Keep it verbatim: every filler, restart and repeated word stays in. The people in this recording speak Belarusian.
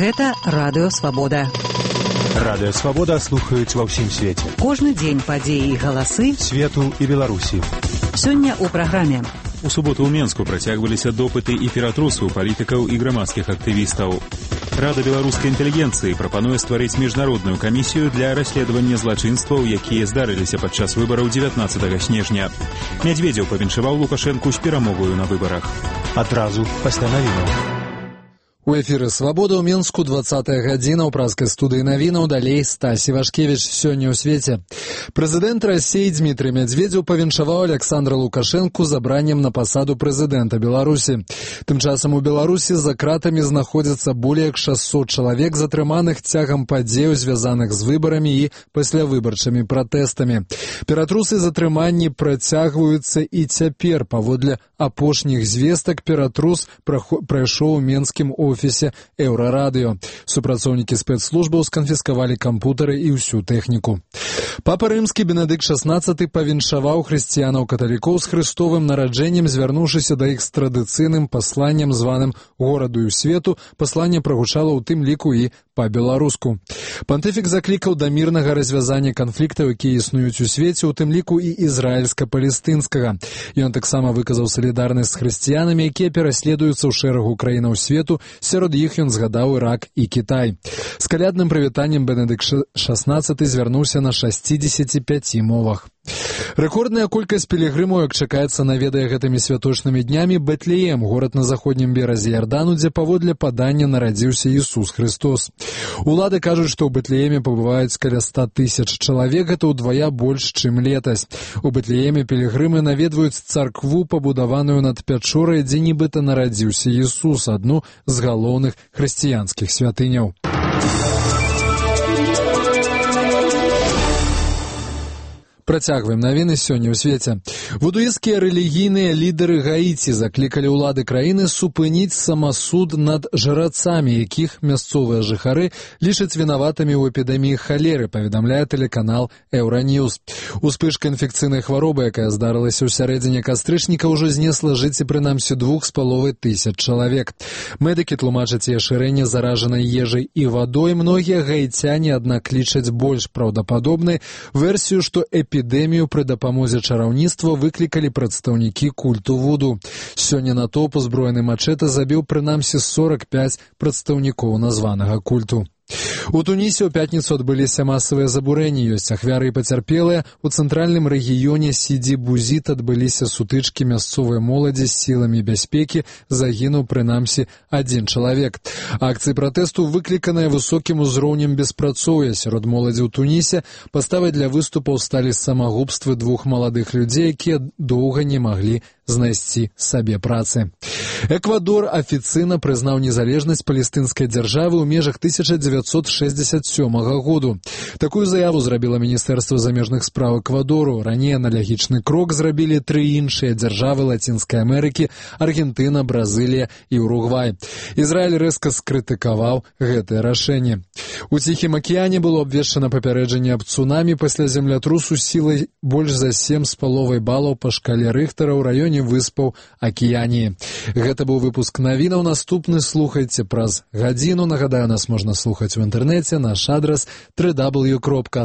Гэта Радыё Свабода. Радыё Свабода слухаюць ва ўсім свеце. Кожны дзень падзеі і галасы свету і Беларусі. Сёння ў праграме. У суботу ў Менску працягваліся допыты і ператрусу палітыкаў і грамадскіх актывістаў. Рада беларускай інтэлігенцыі прапануе стварыць міжнародную камісію для расследавання злачынстваў, якія здарыліся падчас выбараў дзевятнаццатага снежня. Мядзведзеў павіншаваў Лукашэнку з перамогаю на выбарах. Адразу пасля навінаў. У эфіры «Свабода» ў Менску, двадцатая гадзіна, ў празкай студыі навінаў, далей Стасі Вашкевіч. Сёння ў свеце. Прэзідэнт Расіі Дмітрый Мядзведзеў павіншаваў Александра Лукашэнку забраннем на пасаду прэзідэнта Беларусі. Тым часам у Беларусі за кратамі знаходзіцца болей як шасцьсот чалавек, затрыманых цягам падзеяў, звязаных з выбарамі і паслявыбарчымі пратэстамі. Ператрусы затрыманні працягваюцца і цяпер. Паводле апошніх звестак ператрус прайшоў у менскім офісе Еўрарадыё. Супрацоўнікі спецслужбаў сканфіскавалі кампутары і ўсю тэхніку. Папа рымскі Бенедыкт шаснаццаты павіншаваў хрысціянаў-каталікоў з хрыстовым нараджэннем, звярнуўшыся да іх з традыцыйным пасланнем, званым гораду і свету. Пасланне прагучала ў тым ліку і па-беларуску. Пантыфік заклікаў да мірнага развязання канфліктаў, якія існуюць у свеце, у тым ліку і ізраільска-палестынскага. Ён таксама выказаў салідарнасць з хрысціянамі, якія пераследуюцца ў шэрагу краінаў свету. Сярод іх ён згадаў Ірак і Кітай. З калядным прывітаннем Бенедыкт шаснаццаты звярнуўся на шасцідзесяці пяці мовах. Рэкордная колькасць пілігрымаў, як чакаецца, наведае гэтымі святочнымі днямі Бэтлеем, горад на заходнім беразе Ярдану, дзе паводле падання нарадзіўся Ісус Христос. Улады кажуць, што ў Бэтлееме пабываюць каля ста тысяч чалавек, гэта ўдвая больш, чым летась. У Бэтлееме пілігрымы наведваюць царкву, пабудаваную над пячорай, дзе нібыта нарадзіўся Ісус, адну з галоўных хрысціянскіх святыняў. Працягваем навіны сёння ў свеце. Вудуісцкія рэлігійныя лідары Гаіці заклікалі ўлады краіны супыніць самасуд над жрацамі, якіх мясцовыя жыхары лічаць вінаватымі ў эпідэміі халеры, паведамляе тэлеканал Еўраньюз. Успышка інфекцыйнай хваробы, якая здарылася ў сярэдзіне кастрычніка, ўжо знесла жыцці прынамсі двух з паловай тысяч чалавек. Медыкі тлумачаць яе шырэнне заражанай ежай і вадой. Многія гаіцяне, аднак, лічаць больш праўдападобнай версію, што эпідэмія Эпідэмію пры дапамозе чараўніцтва выклікалі прадстаўнікі культу вуду. Сёння натоўп узброены мачэтэ забіў прынамсі сорак пяць прадстаўнікоў названага культу. У Тунісе ў пятніцу адбыліся масавыя забурэнні, ёсць ахвяры і пацярпелыя. У цэнтральным рэгіёне Сіді-Бузіт адбыліся сутычкі мясцовай моладзі з сіламі бяспекі, загінуў прынамсі адзін чалавек. Акцыі пратэсту выкліканыя высокім узроўнем беспрацоўя сярод моладзі ў Тунісе. Паставай для выступаў сталі самагубствы двух маладых людзей, якія доўга не маглі знайсці сабе працы. Эквадор афіцыйна прызнаў незалежнасць палестынскай дзяржавы ў межах тысяча дзевяцьсот шэсцьдзесят сёмага году. Такую заяву зрабіла Міністэрства замежных спраў Эквадору. Раней аналагічны крок зрабілі тры іншыя дзяржавы Лацінскай Амерыкі – Аргентына, Бразылія і Уругвай. Ізраіль рэзка скрытыкаваў гэтае рашэнне. У Ціхім акіяне было абвешчана папярэджанне аб цунамі пасля землятрусу сілай больш за сем з паловай балаў па шкале Рыхтара ў раёне выспаў Акіяніі. Гэта быў выпуск навінаў. Наступны слухайце праз гадзіну. Нагадаю, нас можна слухаць у інтэрнэце. Наш адрас дабл ю дабл ю дабл ю кропка